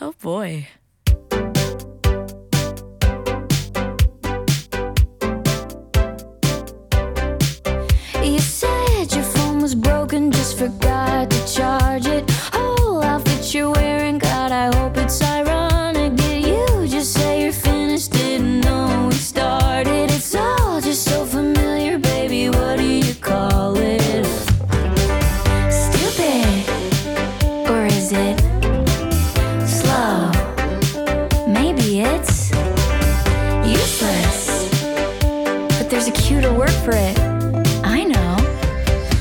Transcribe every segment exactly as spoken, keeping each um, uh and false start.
Oh boy. You said your phone was broken, just forgot to charge it. Whole outfit you're wearing, God, I hope it's ironic. Did you just say you're finished? Didn't know we started. It's all just so familiar, baby. What do you call it? Stupid, or is it slow? Maybe it's useless, but there's a cuter word for it. I know.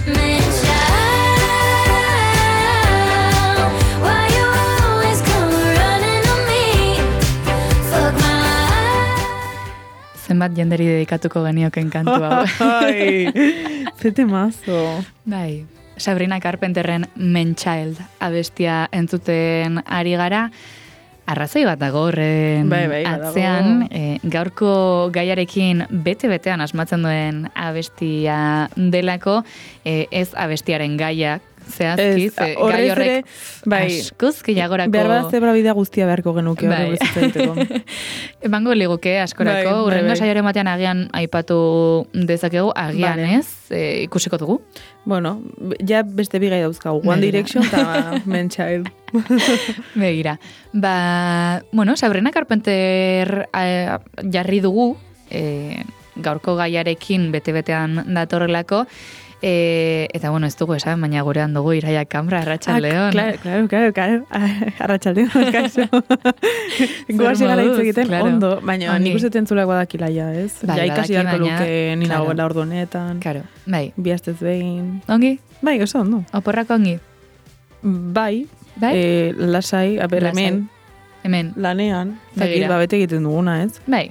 Man-child, why you always come running on me? Fuck my Zenbat jenderi dedikatuko genioken kantu hau. Ai, zete mazo. Bai, Sabrina Carpenterren Man-Child abestia entzuten ari gara. Arrazoi bat dago horren Bai, bai, badago. atzean, e, gaurko gaiarekin bete-betean asmatzen duen abestia delako, e, ez abestiaren gaiak, zehazki, Ez, ze horrez gai horrek ere, bai, askoz gehiagorako... behar bat zebra bidea guztia beharko genuke Bai. horre bezitza egiteko. Emango liguke askorako, Bai, bai, urrengo bai. saioaren batean agian aipatu dezakegu, agian Vale. ez, e, ikusiko dugu. Bueno, ja beste bigai dauzkagu. One Begira. Direction eta Man-Child. Begira. Ba, bueno, Sabrina Carpenter eh, jarri dugu, eh, gaurko gaiarekin bete-betean datorrelako, eh, eta bueno, ez dugu esan, baina gurean dugu Iraia Kambra, Arratsaldeon. Ah, claro, claro, claro, claro. Arratsaldeon, kaso. Goaz gara hitz moduz, egiten, claro. ondo, baina Ongi. nik uste entzulak badakila ja, ez? Bai, ja ikasi badaki, beharko baina, luke nina claro. goela ordu honetan. Karo, bai. Bi astez behin. Ongi? Bai, oso ondo. Oporrako ongi? Bai, Bai? eh, lasai, aber Lasai. hemen, Hemen. lanean, zakit, Begira. ba, bete egiten duguna, ez? Bai.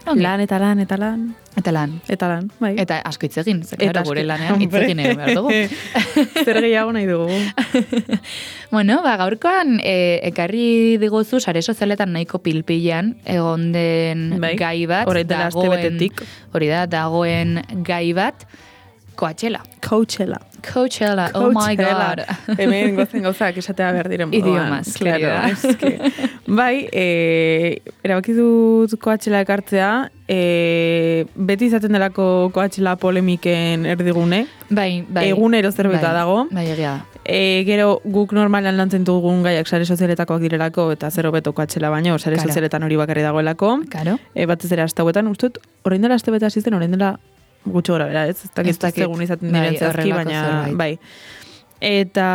Ongi. Lan eta lan, eta lan, Eta lan. eta lan, bai. Eta asko hitz egin, ze Eta claro, asko- gure lanean hitz Hombre. egin egin behar dugu. Zer gehiago nahi dugu. Bueno, ba, gaurkoan e, ekarri diguzu sare sozialetan nahiko pilpilean egon den Bai, gai bat. orain dela aste dagoen- betetik. Hori da, dagoen gai bat, Coachella. Coachella. Coachella, oh my god. Hemen gozen gauzak esatea behar diren moduan. Idiomas, claro, querida. eske. Bai, e, erabaki dut Coachella ekartzea, e, beti izaten delako Coachella polemiken erdigune, Bai, bai. egunero zerbait bai, dago. Bai, egia da. E, gero guk normalan lantzen dugun gaiak sare sozialetakoak direlako, eta zer hobeto Coachella baino, sare Karo. sozialetan hori bakarri dagoelako. Karo? E, batez ere aste hauetan, uste dut, orain dela aste bete hasi zen, orain dela gutxo gora bera, ez? Ez Ez dakit dakit. egun izaten Bai, diren zehazki, horrelako baina zerbait. bai. Eta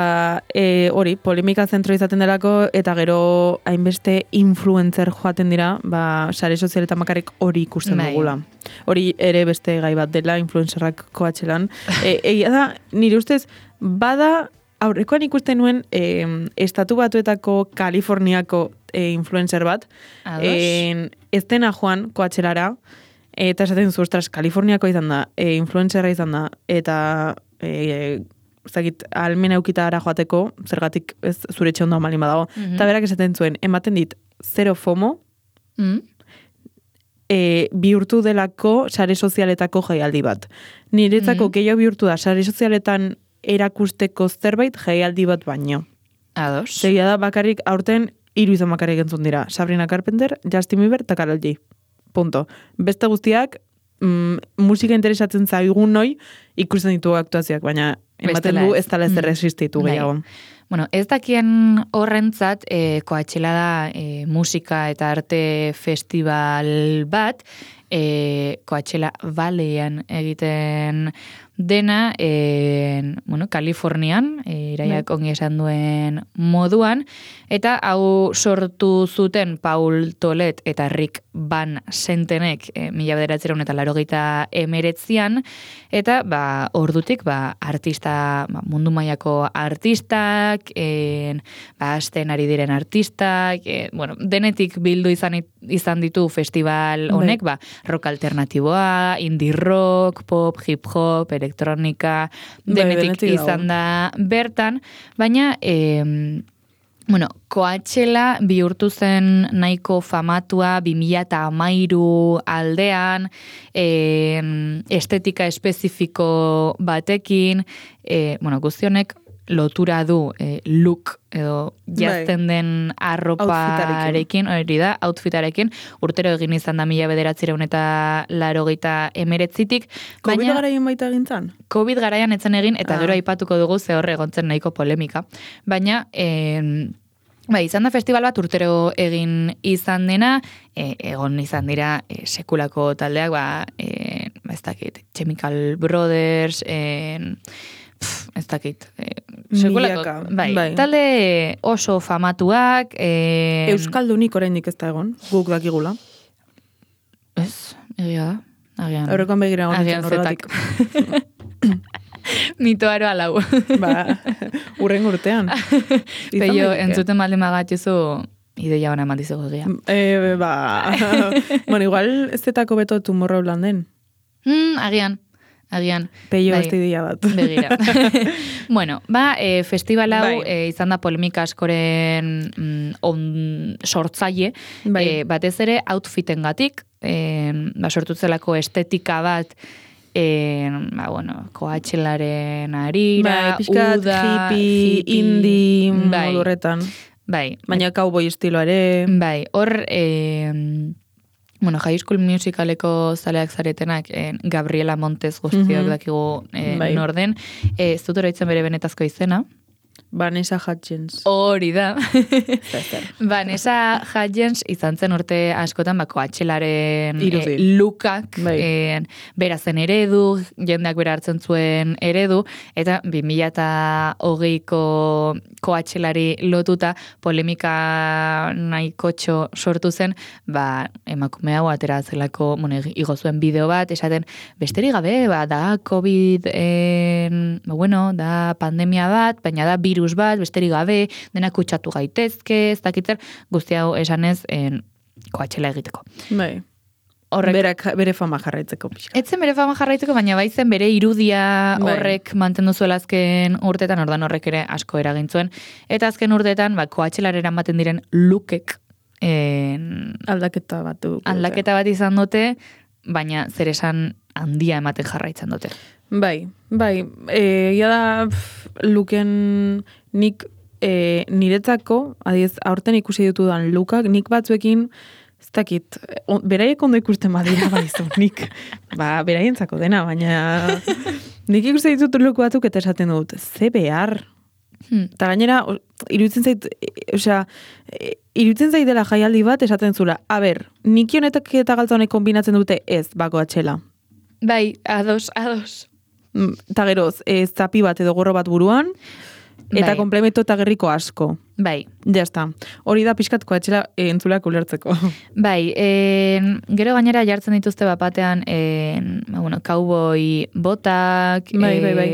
e, hori, polemika zentro izaten delako, eta gero hainbeste influencer joaten dira, ba, sare sozialetan bakarrik hori ikusten Bai. dugula. Hori ere beste gai bat dela, influencerrak Coachellan. E, egia da, nire ustez, bada, aurrekoan ikusten nuen, e, estatu batuetako Kaliforniako e, influencer bat, Ados? en, ez dena joan Coachellara, eta esaten zu, ostras, Kaliforniako izan da, e, influencerra izan da, eta e, zakit, almena eukita ara joateko, zergatik ez zure etxe ondo amalin badago. Mhm. Eta berak esaten zuen, ematen dit, zero FOMO, Mm? e, bihurtu delako sare sozialetako jaialdi bat. Niretzako Mhm. gehiago bihurtu da, sare sozialetan erakusteko zerbait jaialdi bat baino. Ados? Segia da bakarrik aurten hiru izan bakarrik entzun dira. Sabrina Carpenter, Justin Bieber eta Karol G. Punto. Beste guztiak, mm, musika interesatzen zaigun noi, ikusten ditugu aktuazioak, baina ematen Bestela du ez. ez dela ezer Mm. existitu Bai. gehiago. Bueno, ez dakien horrentzat, e, Coachella da e, musika eta arte festival bat, e, Coachella Valleyan egiten dena, e, bueno, Kalifornian, e, iraiak ongi esan duen moduan, eta hau sortu zuten Paul Tolet eta Rick Van Sentenek e, mila bederatziehun eta laurogeita emeretzian, eta ba, ordutik ba, artista, ba, mundu mailako artistak, en, ba, hasten ari diren artistak, e, bueno, denetik bildu izan, izan ditu festival honek, ba, rock alternatiboa, indie rock, pop, hip hop, elektronika, Bai, denetik denetik dago. izan da bertan, baina em, bueno, Coachella bihurtu zen nahiko famatua bi mila hamairu aldean, en, estetika espezifiko batekin, e, bueno, guztionek lotura du e, look edo jazten den arroparekin, hori da, outfitarekin, urtero egin izan da mila bederatzireun eta larogeita emeretzitik. COVID garaien baita egintzan? COVID garaian etzen egin, eta ah. gero aipatuko dugu ze horre egontzen nahiko polemika. Baina, eh, bai, izan da festival bat urtero egin izan dena, e, egon izan dira e, sekulako taldeak, ba, e, ba ez dakit, Chemical Brothers, e, pf, ez dakit, e, sekulako, bai, bai, talde oso famatuak. E, Euskaldunik oraindik ez da egon, guk dakigula. Ez, egia da. Agian. Aurrekoan begira egon agian zetak. Mitoaro alau. Ba, urren urtean. Peio, entzuten malde magatxuzu, ideia hona mandizugu egia. E, ba, bueno, igual ez zetako beto Tomorrowlanden. Mm, agian, agian. Peio ez ideia bat. Begira. Bueno, ba, e, festival hau bai. e, izan da polemika askoren mm, on, sortzaile, bai. e, batez ere outfiten gatik, e, ba, sortutzelako estetika bat, E, ba, bueno, Coachelaren arira, bai, piskat, uda, hippie, hippie indie, bai, modurretan. Bai. Baina cowboy estiloare. Bai, hor, e, bueno, High School Musicaleko zaleak zaretenak, e, Gabriela Montez guztiok mm-hmm. dakigu e, bai. norden. E, ez dut oroitzen bere benetazko izena. Vanessa Hudgens. Hori da. Vanessa Hudgens izan zen urte askotan ba, Coachelaren e, lukak, bai. e, bera zen eredu, jendeak bera hartzen zuen eredu, eta bi mila hogeiko Coachelari lotuta polemika nahikotxo sortu zen, ba, emakume hau atera zelako, bueno, igo zuen bideo bat, esaten, besterik gabe, ba, da COVID, en, ba, bueno, da pandemia bat, baina da virus bat, besterik gabe, dena kutsatu gaitezke, ez dakitzer, guzti hau esanez, en, Coachella egiteko. Bai. Horrek, Berak, bere fama jarraitzeko. Pixka. Etzen bere fama jarraitzeko, baina bai zen bere irudia bai. horrek mantendu zuela azken urtetan, ordan horrek ere asko eragin zuen. Eta azken urtetan, ba, Coachellara eramaten diren lukek, en, aldaketa bat du. Aldaketa bat izan dute, baina zer esan handia ematen jarraitzen dute. Bai, bai, e, ia da pff, luken nik e, niretzako, adiez, aurten ikusi ditudan lukak, nik batzuekin, ez dakit, on, beraiek ondo ikusten badira baizu, nik, ba, beraientzako dena, baina nik ikusi ditut luku batzuk eta esaten dut, ze behar, hmm. eta gainera, iruditzen zait, e, osea, e, iruditzen zait dela jaialdi bat esaten zula, a ber, nik honetak eta galtza honek kombinatzen dute ez, bako atxela. Bai, ados, ados. Eta geroz, e, zapi bat edo gorro bat buruan, eta bai. Komplemento eta gerriko asko. Bai. Ja está. Hori da pixkatko atxela e, entzulak ulertzeko. Bai, e, gero gainera jartzen dituzte bapatean, e, bueno, cowboy botak. Bai, bai, bai.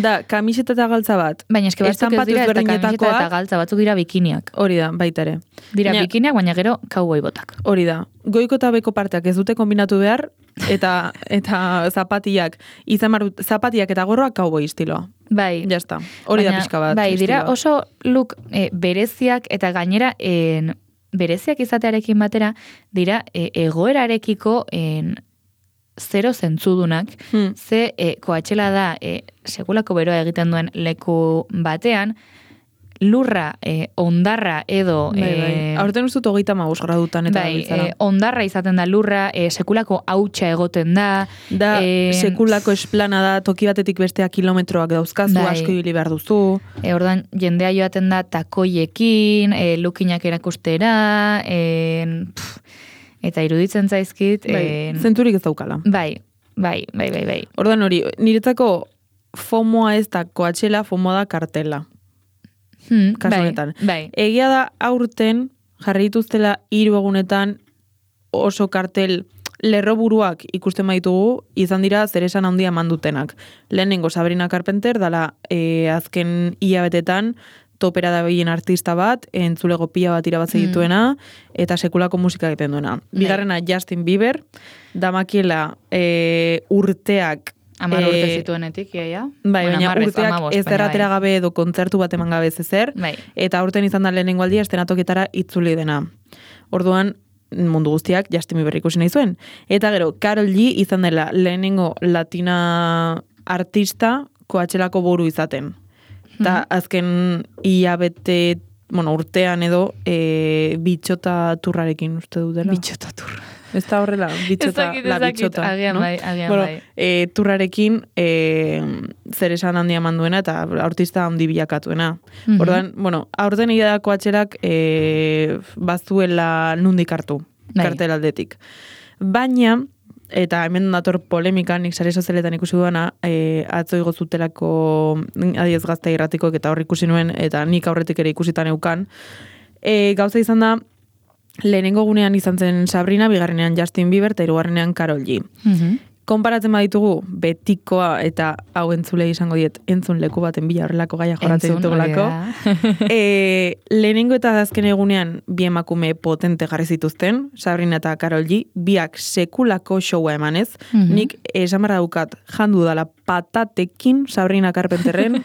Da, kamiseta eta galtza bat. Baina eske batzuk ez dira, eta kamiseta eta galtza, batzuk dira bikiniak. Hori da, baita ere. Dira baina, bikiniak, baina gero cowboy botak. Hori da. Goiko eta beko parteak ez dute kombinatu behar, eta eta zapatiak, izan marut, zapatiak eta gorroak cowboy estiloa. Bai. Ja está. Hori da pixka bat. Bai, dira estiloa. Oso look e, bereziak eta gainera en, bereziak izatearekin batera dira e, egoerarekiko en, zero zentzudunak, hmm. ze e, Coachella da e, sekulako beroa egiten duen leku batean, lurra, e, ondarra edo... Bai, bai. E, Aurten ustut hogeita maguz gradutan eta bai, e, ondarra izaten da lurra, e, sekulako hautsa egoten da. Da, e, sekulako esplana da, toki batetik bestea kilometroak dauzkazu, bai. asko ibili behar duzu. E, ordan, jendea joaten da takoiekin, e, lukinak erakustera, e, pff, eta iruditzen zaizkit... Bai, e, zenturik ez daukala. Bai, bai, bai, bai, bai. Ordan hori, niretzako fomoa ez da Coachella, fomoa da kartela. Hmm, kasu bai, honetan. Bai. Egia da aurten jarri dituztela hiru egunetan oso kartel lerroburuak ikusten baitugu, izan dira zeresan handia mandutenak. Lehenengo Sabrina Carpenter dala e, azken hilabetetan topera da behien artista bat, entzulego pila bat irabatze dituena, eta sekulako musika egiten duena. Bigarrena Justin Bieber, damakiela e, urteak Amar urte zituenetik, iaia. Bai, bueno, baina amarrez, urteak amabos, ez erratera bai. gabe edo kontzertu bat eman gabe ezer, bai. Eta aurten izan da lehenengo aldia estenatoketara itzuli dena. Orduan, mundu guztiak Justin Bieber ikusi nahi zuen. Eta gero, Karol G izan dela lehenengo latina artista Coachellako boru izaten. Eta azken hilabete, bueno, urtean edo, e, bitxota turrarekin uste dut dela. Bitxota turra. Ez da horrela, bitxota, Ezakit, la ezakit, bitxota. agian no? bai, agian bueno, bai. E, turrarekin e, zer esan handia manduena eta artista handi bilakatuena. Mhm. Ordan, bueno, aurten idadako atxerak e, bazuela nundik hartu, Bai. kartel aldetik. Baina, eta hemen dator polemika, nik sare sozialetan ikusi duena, e, atzo igo zutelako adiez gazta irratikoek eta hor ikusi nuen, eta nik aurretik ere ikusitan eukan. E, gauza izan da, lehenengo gunean izan zen Sabrina, bigarrenean Justin Bieber, eta hirugarrenean Karol G. Mhm. Konparatzen baditugu, betikoa eta hau entzule izango diet, entzun leku baten bila horrelako gaia jorratzen Entzun, ditugulako. hori da. e, lehenengo eta azken egunean bi emakume potente jarri zituzten, Sabrina eta Karol G, biak sekulako showa emanez. Mhm. Nik esan barra daukat jandu dala patatekin Sabrina Carpenterren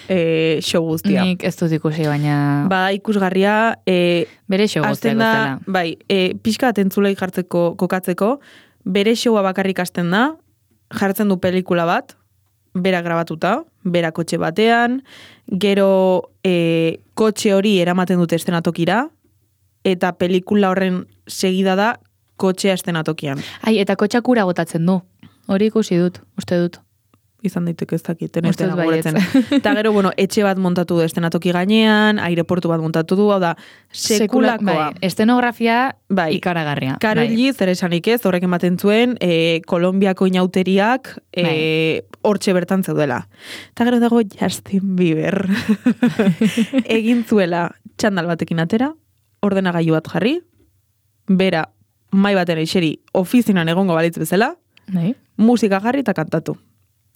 e, show guztia. Nik ez dut ikusi, baina Ba, ikusgarria, e, bere show guztiak hasten da, bezala. bai, e, pixka atentzulei jartzeko, kokatzeko, bere showa bakarrik hasten da, jartzen du pelikula bat, bera grabatuta, bera kotxe batean, gero e, kotxe hori eramaten dute estenatokira, eta pelikula horren segida da kotxea estenatokian. Ai, eta kotxakura botatzen du. Hori ikusi dut, uste dut. Izan daiteke ez dakit, ez Uste dut dela baietz. gogoratzen. Eta gero, bueno, etxe bat montatu du estenatoki gainean, aireportu bat montatu du, hau da, sekulakoa. Bai, estenografia Bai. ikaragarria. Karol Bai. G, zer esanik ez, horrek ematen zuen, e, Kolombiako inauteriak e, hortxe bertan zeudela. Eta gero dago Justin Bieber. Egin zuela txandal batekin atera, ordenagailu bat jarri, bera mai batera iseri ofizinan egongo balitz bezala, Bai. musika jarri eta kantatu.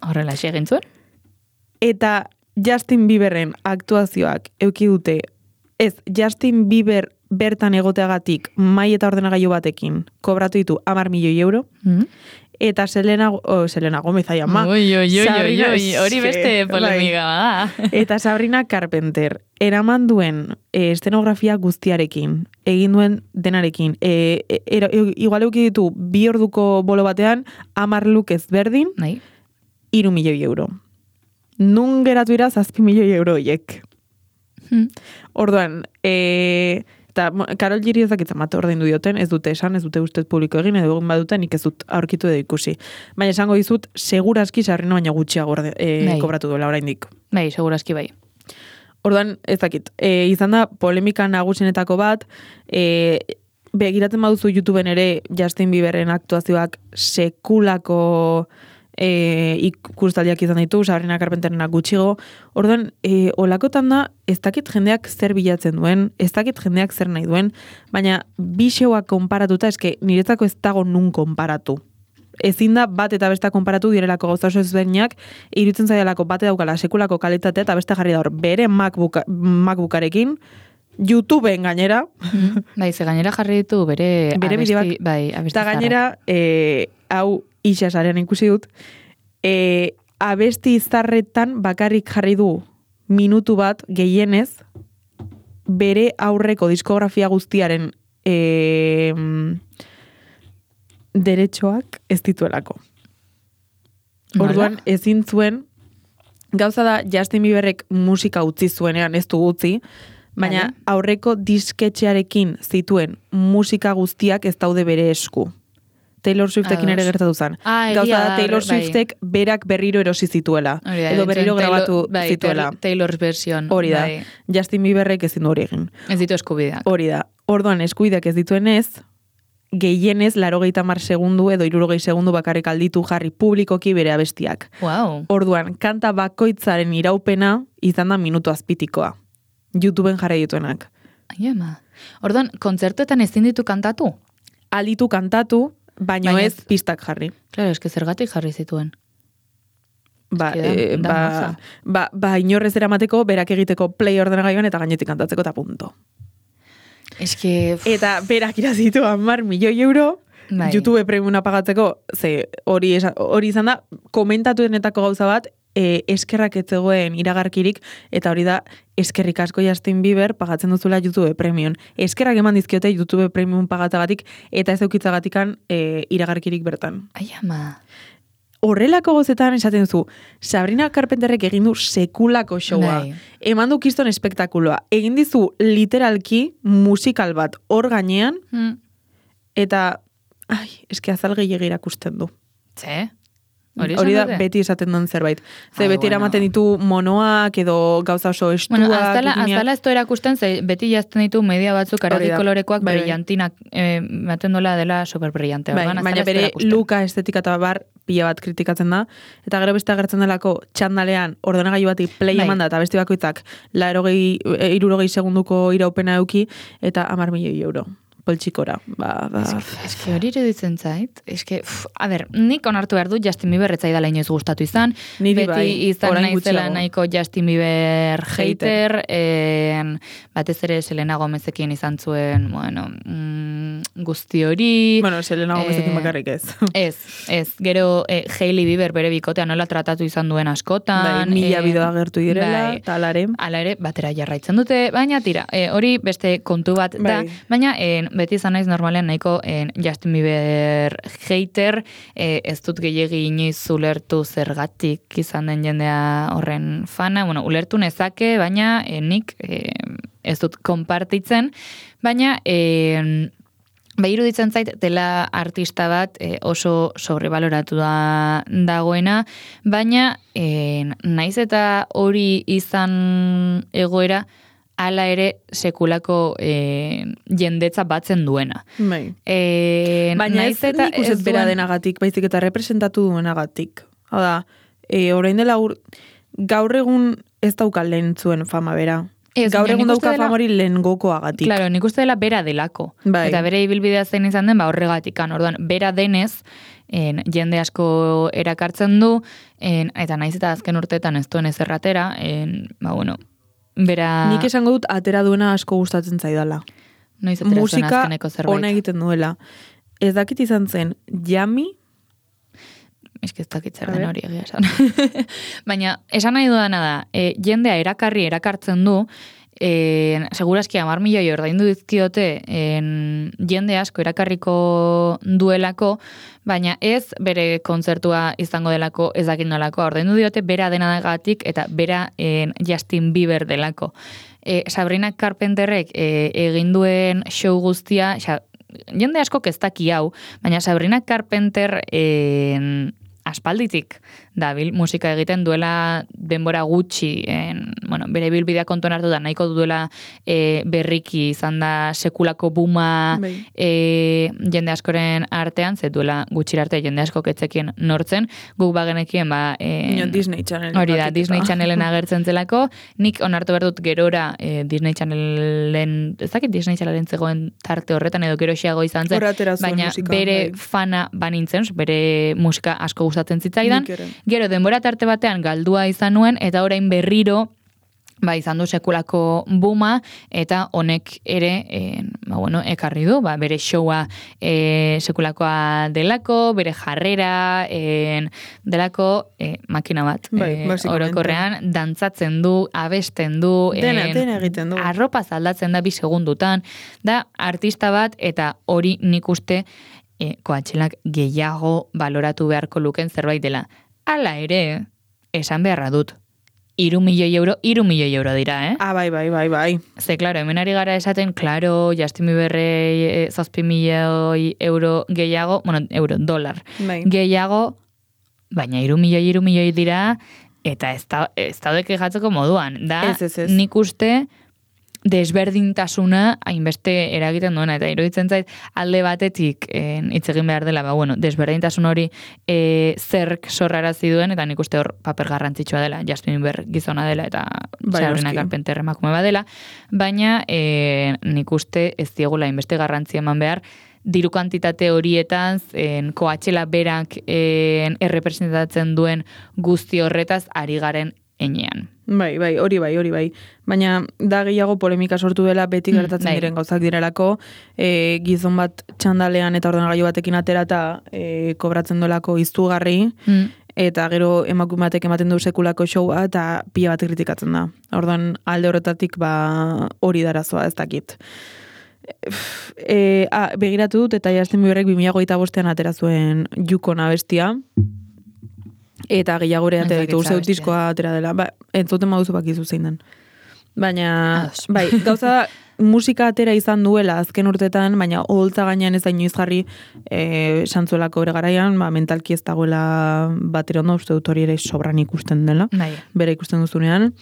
Horrela egin zuen? Eta Justin Bieberren aktuazioak euki dute, ez, Justin Bieber bertan egoteagatik mai eta ordenagailu batekin kobratu ditu hamar milioi euro, Mm. eta Selena, oh, Selena Gomez aia ma. Oi, oi, oi, oi, Sabrina- oi, hori beste Bai. polemika bada. Eta Sabrina Carpenter, eraman duen e, estenografia guztiarekin, egin duen denarekin, e, e, era, e, igual euki ditu bi orduko bolo batean, hamar look ezberdin, Bai. hiru milioi euro. Nun geratu ira zazpi milioi euro hiek. Hmm. Orduan, e, eta mo- Karol Giri ezakitzen bat ordaindu dioten, ez dute esan, ez dute ustez publiko egin, edo egin baduten, nik ez dut aurkitu edo ikusi. Baina esango dizut, seguraski Sabrina baina gutxiago orde, e, Bai. kobratu duela oraindik. Bai, segurazki bai. Orduan, ez dakit, e, izan da polemika nagusienetako bat, e, begiratzen baduzu YouTubeen ere Justin Bieberren aktuazioak sekulako e, ikustaldiak izan ditu, Sabrina Carpenterrenak gutxigo. Orduan, e, olakotan da, ez dakit jendeak zer bilatzen duen, ez dakit jendeak zer nahi duen, baina bi showak konparatuta, eske niretzako ez dago nun konparatu. Ezin da bat eta besta konparatu direlako gauza oso ezberdinak, iruditzen zaidalako bate daukala sekulako kalitatea eta beste jarri da hor bere MacBook, MacBookarekin, YouTubeen gainera, Mm. Bai, ze gainera jarri ditu bere, Bere abesti, bideoak. bai, abesti eta gainera, e, hau Ixasarean ikusi dut, e, abesti zarretan bakarrik jarri du minutu bat gehienez, bere aurreko diskografia guztiaren e, deretxoak ez dituelako. Nola? Orduan, ezin zuen, gauza da Justin Bieberrek musika utzi zuenean, ez du utzi, baina Vale. aurreko disketxearekin zituen musika guztiak ez daude bere esku. Taylor Swiftekin ere Ados. gertatu zen. Ah, egia Gauza da da, Taylor bai. Swiftek berak berriro erosi zituela. Hori da, Edo entzun berriro Taylor- grabatu bai, zituela. Taylor- Taylor's version. Hori da. Bai. Justin Bieberrek ezin du hori egin. Ez ditu eskubideak. Hori da. Orduan eskuideak ez dituenez, gehienez, larogeita mar segundu edo irurogei segundu bakarrik alditu jarri publikoki bere abestiak. Wow. Orduan, kanta bakoitzaren iraupena izan da minutu azpitikoa. YouTubeen jarri dituenak. Ai, ama. Orduan, kontzertuetan ezin ditu kantatu? Alditu kantatu, baino Baina ez ez- pistak jarri. Claro, eske zergatik jarri zituen. Ba, Eske da- eh, da ba, maza. ba, ba, inorrez eramateko, berak egiteko play ordenagailuan eta gainetik kantatzeko eta punto. Eske... Eta berak irazitu hamar milioi euro, Bai. YouTube premiuma pagatzeko, ze hori, esa- hori izan da, komentatuenetako gauza bat, e, eskerrak ez zegoen iragarkirik, eta hori da, eskerrik asko Justin Bieber pagatzen duzula YouTube premium. Eskerrak eman dizkiote YouTube premium pagatagatik, eta ez eukitzagatikan e, iragarkirik bertan. Ai, ama. horrelako gozetan esaten zu, Sabrina Carpenterrek egin du sekulako showa, Bai. eman du kiston espektakuloa, egin dizu literalki musikal bat hor gainean, Mm. eta, ai, eski azal gehiago irakusten du. Ze? Hori, Hori da esan dute? beti esaten duen zerbait. Ze Ai, beti bueno. eramaten ditu monoak edo gauza oso estuak. Bueno, aztala, eginak. aztala ez to erakusten, ze beti jazten ditu media batzuk Hori aragi da. kolorekoak Bai, bai. brillantinak, eh, maten dola dela superbrillante. Bai, orduan, aztala baina ez to bere erakusten. luka estetika eta bar pila bat kritikatzen da. Eta gero beste agertzen delako txandalean ordenagailu bati play Bai. emanda eta beste bakoitzak la erogei, irurogei segunduko iraupena euki eta hamar milioi euro. Poltsikora. Ba, ba. Eske hori iruditzen zait, eske, uf, a ber, nik onartu behar dut Justin Bieber etzaidala inoiz gustatu izan, Niri beti bai, izan orain naizela gutxiago. nahiko Justin Bieber Hater. hater, en, batez ere Selena Gomezekin izan zuen, bueno, mm, guzti hori, Bueno, Selena Gomezekin eh, bakarrik ez. ez, ez, gero eh, Hailey Bieber bere bikotea nola tratatu izan duen askotan, Bai, mila eh, bideo agertu direla, bai. eta alare. Hala ere, batera jarraitzen dute, baina tira, e, hori beste kontu bat da, Bai. baina e, beti izan naiz normalean nahiko e, Justin Bieber hater, e, ez dut gehiegi inoiz ulertu zergatik izan den jendea horren fana, bueno, ulertu nezake, baina e, nik e, ez dut konpartitzen, baina e, Ba, iruditzen zait, dela artista bat e, oso sobrebaloratu da dagoena, baina e, naiz eta hori izan egoera, hala ere sekulako e, jendetza batzen duena. Bai. E, Baina ez, naiz eta nik uste ez bera duen- denagatik, baizik eta representatu duenagatik. Hau da, e, orain dela ur, gaur egun ez dauka lehen zuen fama bera. Ez, Gaur baina egun nik uste dauka dela- fama hori lehen gokoagatik. Claro, nik uste dela bera delako. Bai. Eta bere ibilbidea zein izan den, ba horregatikan. Orduan, bera denez, en, jende asko erakartzen du, en, eta naiz eta azken urteetan ez duen ezerratera, en, ba bueno, bera... Nik esango dut atera duena asko gustatzen zaidala. noiz atera zuen Musika azkeneko zerbait. ona egiten duela. Ez dakit izan zen, Yami, Ez que ez dakit zer A den ber. hori egia esan. Baina, esan nahi dudana da, e, jendea erakarri erakartzen du, e, seguraski hamar milioi ordaindu dizkiote en, jende asko erakarriko duelako, baina ez bere kontzertua izango delako ez dakit nolako, ordaindu diote bera denagatik eta bera en, Justin Bieber delako. E, Sabrina Carpenterrek e, egin duen show guztia, xa, jende asko ez daki hau, baina Sabrina Carpenter en, aspalditik dabil musika egiten duela denbora gutxi, en, bueno, bere bilbidea kontuan hartu da, nahiko duela e, berriki izan da sekulako buma Bai. e, jende askoren artean, ze duela gutxira arte jende asko ketzekien nortzen, guk bagenekien ba... E, Ino, Disney Channel. Hori da, batik Disney eta- Channelen agertzen zelako, nik onartu behar dut gerora e, Disney Channelen, ez dakit Disney Channelen zegoen tarte horretan edo gero xeago izan zen, Hor atera zuen baina musika, bere bai. fana banintzen, bere musika asko gustatzen zitzaidan, Nik ere. gero denbora tarte batean galdua izan nuen, eta orain berriro, ba, izan du sekulako buma, eta honek ere, e, ba, bueno, ekarri du, ba, bere showa e, sekulakoa delako, bere jarrera, e, delako e, makina bat. Bai, e, basicamente. orokorrean, dantzatzen du, abesten du, Dena, en, dena egiten du. arropa zaldatzen da bi segundutan, da artista bat, eta hori nik uste e, Coachelak gehiago baloratu beharko luken zerbait dela. Hala ere, esan beharra dut, iru milioi euro, iru milioi euro dira, eh? Ah, bai, bai, bai, bai. Ze, klaro, hemen ari gara esaten, klaro, Justin Bieberrei e, zazpi milioi euro gehiago, bueno, euro, dolar, Bai. gehiago, baina iru milioi, iru milioi dira, eta ez da, ez daude kejatzeko moduan. Da, Ez, ez, ez. nik uste desberdintasuna hainbeste eragiten duena, eta iruditzen zait alde batetik en, hitz egin behar dela, ba, bueno, desberdintasun hori e, zerk sorrarazi duen, eta nik uste hor paper garrantzitsua dela, Justin Bieber gizona dela, eta Bai, Sabrina noski. Carpenter emakume badela, baina e, nik uste ez diegula hainbeste garrantzi eman behar, diru kantitate horietan, en, Coachella berak en, errepresentatzen duen guzti horretaz ari garen enean. Bai, bai, hori bai, hori bai. Baina da gehiago polemika sortu dela beti Mm, gertatzen bai. diren gauzak direlako, e, gizon bat txandalean eta ordenagailu batekin aterata e, kobratzen dolako izugarri, Mm. eta gero emakume batek ematen du sekulako showa eta pila bat kritikatzen da. Orduan alde horretatik ba hori darazoa, ez dakit. E, ah, begiratu dut eta Justin Bieberrek bi mila hogeita bostean atera zuen Yukon abestia. Eta gehiago ere atera ditu, Ezakit uste dut zabestia. diskoa atera dela. Ba, entzuten baduzu bakizu zein den. Baina, Ados. bai, gauza musika atera izan duela azken urtetan, baina oholtza gainean ez da inoiz jarri e, santzuelako bere garaian, ba, mentalki ez dagoela batera ondo, uste dut hori ere sobran ikusten dela, Bai. bere ikusten duzunean.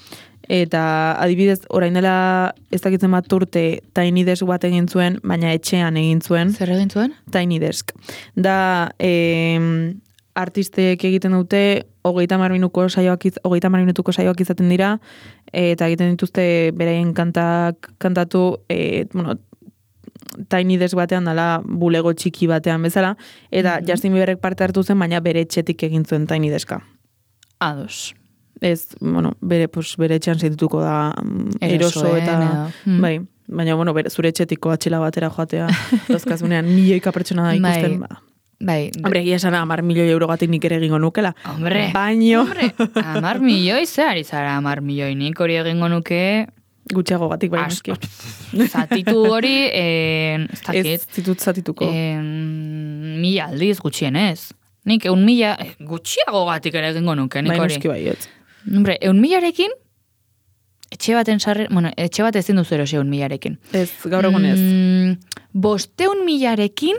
Eta adibidez, orain dela ez dakitzen bat urte Tiny Desk bat egin zuen, baina etxean egin zuen. Zer egin zuen? Tiny Desk. Da, eh, artistek egiten dute, hogeita hamar minutuko saioak, iz- hogeita hamar minutuko saioak izaten dira, eta egiten dituzte beraien kantak kantatu, e, bueno, Tiny Desk batean dala bulego txiki batean bezala, eta Mhm. Justin Bieberrek parte hartu zen, baina bere etxetik egin zuen Tiny Deska. Ados. Ez, bueno, bere, pues, bere etxean sentituko da mm, eroso Erosoen eta... edo, mm. Bai, baina, bueno, bere, zure etxetiko atxela batera joatea, dozkazunean milioika pertsona da ikusten, Bai. ba. Bai. Hombre, egia esan hamar milioi eurogatik nik ere egingo nukela. Hombre. Baino, Hombre, amar milioi, zer ari zara amar milioi, nik hori egingo nuke, gutxiago gatik bai asko. noski. Zatitu hori, eh, ez Ez dakit, zitut zatituko. eh, mila aldiz gutxienez. Nik eun mila, eh, gutxiago gatik ere egingo nuke, nik Bai hori. noski baietz. Hombre, eun milarekin, etxe baten sarre, bueno, etxe bat ezin duzu erosi eun milarekin. Ez, gaur egun ez. Mm, bosteun milarekin,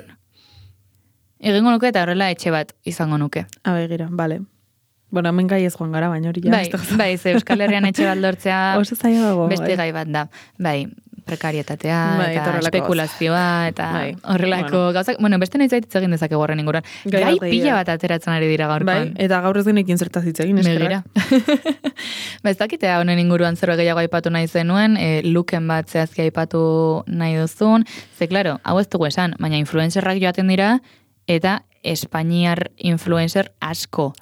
egingo nuke eta horrela etxe bat izango nuke. Abe, gira, bale. Bueno, hemen gai ez joan gara, baina hori ja. Bai, ez da- bai, ze Euskal Herrian etxe bat lortzea Oso zaila dago. beste bai. gai bat da. Bai, prekarietatea, Bai, eta eta horrelako espekulazioa, eta Bai, horrelako bueno. gauzak. Bueno, beste nahi zaititz egin dezake horren inguruan. Gai Gai bat pila egia. bat ateratzen ari dira Bai, gaurkoan. eta gaur ez genekin zertaz hitz egin, Begira. eskerrak. Ba, ez dakitea honen inguruan zer gehiago aipatu nahi zenuen, e, luken bat zehazki aipatu nahi duzun, ze, klaro, hau ez dugu esan, baina influencerrak joaten dira, eta Espainiar influencer asko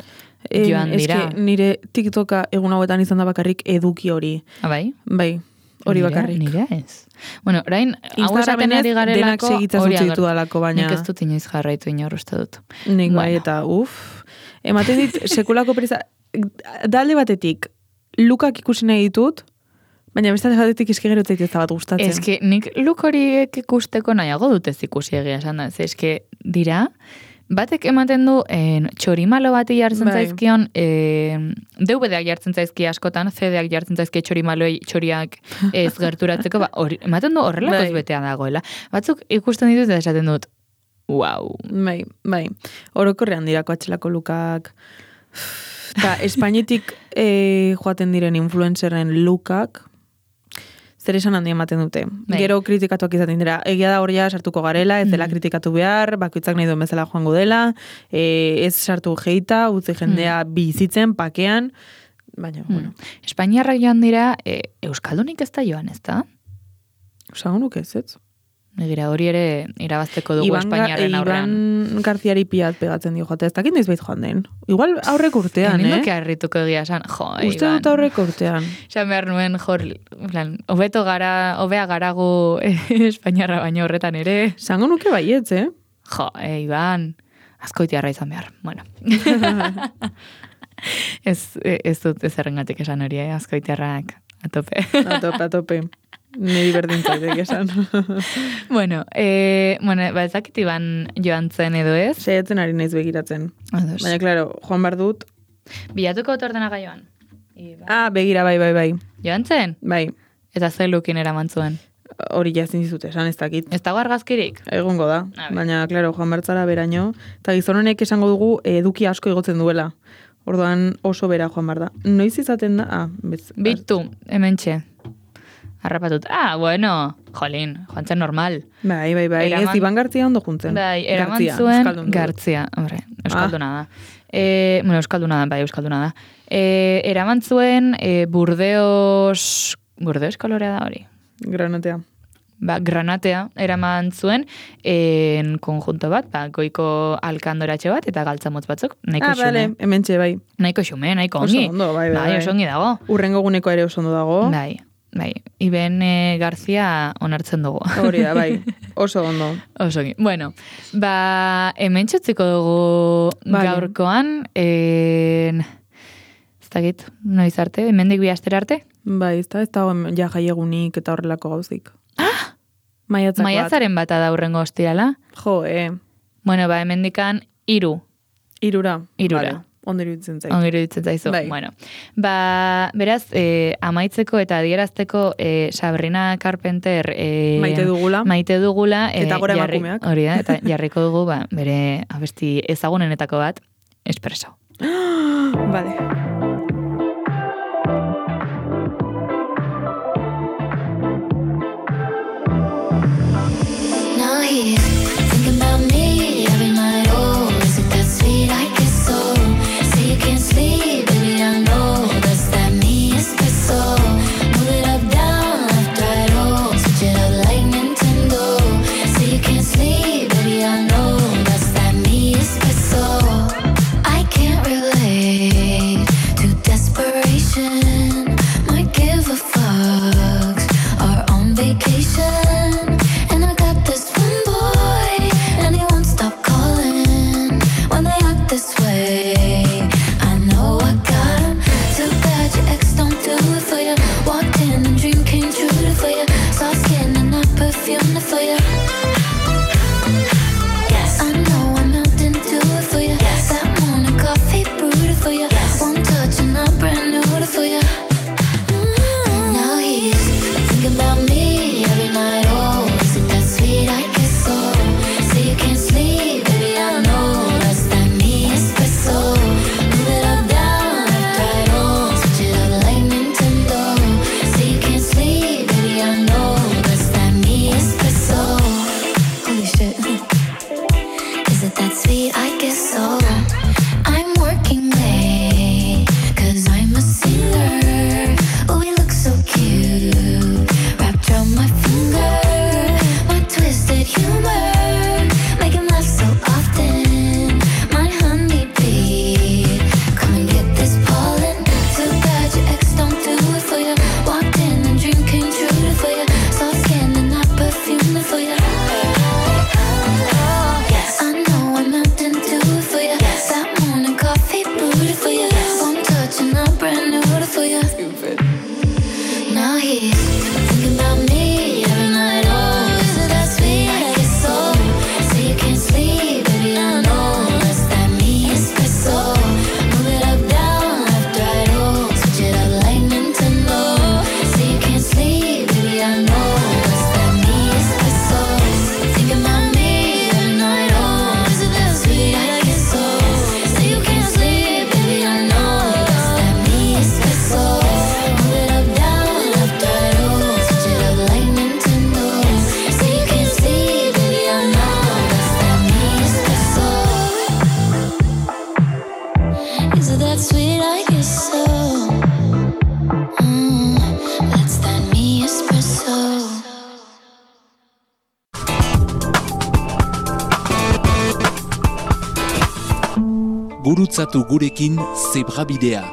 joan Em, dira. eske nire TikToka egun hauetan izan da bakarrik eduki hori. Ah, bai? Bai, hori Nire- bakarrik. Nire ez. Bueno, orain, hau esaten Instagramen ez, ari denak garelako, segitzen hori utzi ager- ditudalako, baina... Nik ez dut inoiz jarraitu inor uste dut. Nik bai, Bueno. eta uf. Ematen dit, sekulako presa... Dalde batetik, lukak ikusi nahi ditut, baina beste alde batetik eske gero ez zait ez da bat gustatzen. Eske nik luk horiek ikusteko nahiago dut ez ikusi egia esan da. Ze eske dira, batek ematen du en, txorimalo bati jartzen Bai. zaizkion, en, D V D-ak jartzen zaizki askotan, C D-ak jartzen zaizki txorimaloi txoriak ez gerturatzeko, ba, hori, ematen du horrelakoz Bai. betea dagoela. Batzuk ikusten ditut eta esaten dut, wow. Bai, bai. Orokorrean dirako atxelako lukak. Eta Espainetik eh, joaten diren influencerren lukak, zer esan handi ematen dute. Bai. Gero kritikatuak izaten dira. Egia da hor ja sartuko garela, ez dela kritikatu behar, bakoitzak nahi duen bezala joango dela, eh, ez sartu jeita, utzi jendea bizitzen, pakean, baina, bueno, Espainiarrak joan dira, e, Euskaldunik ez da joan, ez da? usango nuke ez, ez? Egira hori ere irabazteko dugu Iban, Ga- Espainiarren aurrean. Iban Garziari piat pegatzen dio joate, ez dakit noiz bait joan den. Igual aurreko urtean, Egin eh? duke harrituko egia esan, jo, Uste Iban. dut aurreko urtean. Esan behar nuen, jor, plan, hobeto gara, hobea garagu eh, Espainiarra baino horretan ere. Zango nuke baietz, eh? Jo, e, Iban, azkoitiarra izan behar. Bueno. ez, e, ez dut ez errengatik esan hori, eh? Azkoitiarrak atope. Atope, atope. Niri berdin zaitek esan. bueno, e, bueno, ba ezakit Iban joan zen edo ez. Saiatzen ari naiz begiratzen. Ados. Baina, klaro, joan behar dut. Bilatuko dut ordenaga joan. Iban. Ah, begira, bai, bai, bai. Joan zen? Bai, Eta ze lukin eraman zuen. hori jazin dizut esan, ez dakit. Ez dago argazkirik? Egongo da. A ber. Baina, klaro, joan bertzara beraino. Eta gizon honek esango dugu eduki asko igotzen duela. Orduan oso bera joan behar da. Noiz izaten da? Ah, bez. Bitu, hementxe. Harrapatut. Ah, bueno, jolin, joan zen normal. Bai, bai, bai. Eraman- Ez, Iban Gartzia ondo juntzen. Bai, eraman Gartzia, zuen euskaldun dugu. Gartzia, hombre, euskalduna da. E, bueno, euskalduna da, bai, euskalduna da. E, eraman zuen e, Burdeos, Burdeos kolorea da hori. Granatea. Ba, granatea eraman zuen en konjunto bat, ba, goiko alkandoratxe bat eta galtzamotz batzuk, nahiko Ah, bale, xume. hementxe, bai. Nahiko xume, nahiko Oso ongi. ondo, bai, bai, Bai, bai. oso ongi dago. Urrengo guneko ere oso ondo dago. Bai, bai. Iben e, Garzia onartzen dugu. Hori da, bai. Oso ondo. Oso ongi. Bueno, ba, hemen txutziko dugu Vale. gaurkoan, en... ez dakit, noiz arte, hemendik bi astera arte? Bai, ez da, ez dago ja jaiegunik eta horrelako gauzik. Ah! Maiatzak bat. Maiatzaren bata da hurrengo ostirala. Jo, eh. Bueno, ba, hemendikan hiru. Irura. Irura. Vale. ondo iruditzen zait. Ondo iruditzen zaizu. Bai. Bueno, ba, beraz, eh, amaitzeko eta adierazteko eh, Sabrina Carpenter eh, Maite dugula. Maite dugula. Eh, Eta gora jarri- emakumeak. Hori da, eta jarriko dugu, ba, bere abesti ezagunenetako bat, Espresso. Vale. Now he's thinking about me every night. Oh, is it that sweet? I guess so. Say you can't sleep, baby. I know that's that me espresso. Move it up, down, left, right. Oh, switch it up like Nintendo. Say you can't sleep, baby. I know that's that me espresso. I can't relate to desperation. Might give a fucks. Are on vacation. And I got this one boy, and he won't stop calling when they act this way. I know I got him. Too bad your ex don't do it for you. Walked in and dream came true for you. Soft skin and not perfume for you. Yes, I know I'm melting to it for you. Yes, that morning coffee brewed for you. Yes, one touch and I'm brand new for you. Mm. Now he's thinking about me every night. Oh, is it that sweet? I guess so. Say you can't sleep, baby. I know that's that me espresso. Move it up, down, left, right. Oh, switch it up like Nintendo. Say you can't sleep, baby. I know that's that me espresso. Holy shit. Is it that sweet? I guess so. I'm working late, cause I'm a singer. Oh, we look so cute, wrapped around my finger. My twisted humor, make him laugh so often. My honeybee, come and get this pollen. Too bad your ex don't do it for you. Walked in and dream came true for you. Soft skin and not perfume for you. Yes, I know I'm melting to it for you. That morning coffee brewed for you. One touch and I'm brand new for you. Now he's thinking about me every night. Oh, is it that sweet? I guess so. Say you can't sleep, baby. I know that's that me espresso. Move it up, down, left, right. Oh, switch it up like Nintendo. Say you can't sleep, baby. I know that's that me espresso. Thinking about me every night. Oh, is it that sweet? I guess so. Say you can't sleep, baby. I know that's that me espresso. Move it up, down, left, right. Oh, switch it up like Nintendo. Say you can't sleep, baby. I know that's that me espresso. Is it that sweet? I guess so. Mm, that's that me espresso. Gurutzatu gurekin Zebrabidea.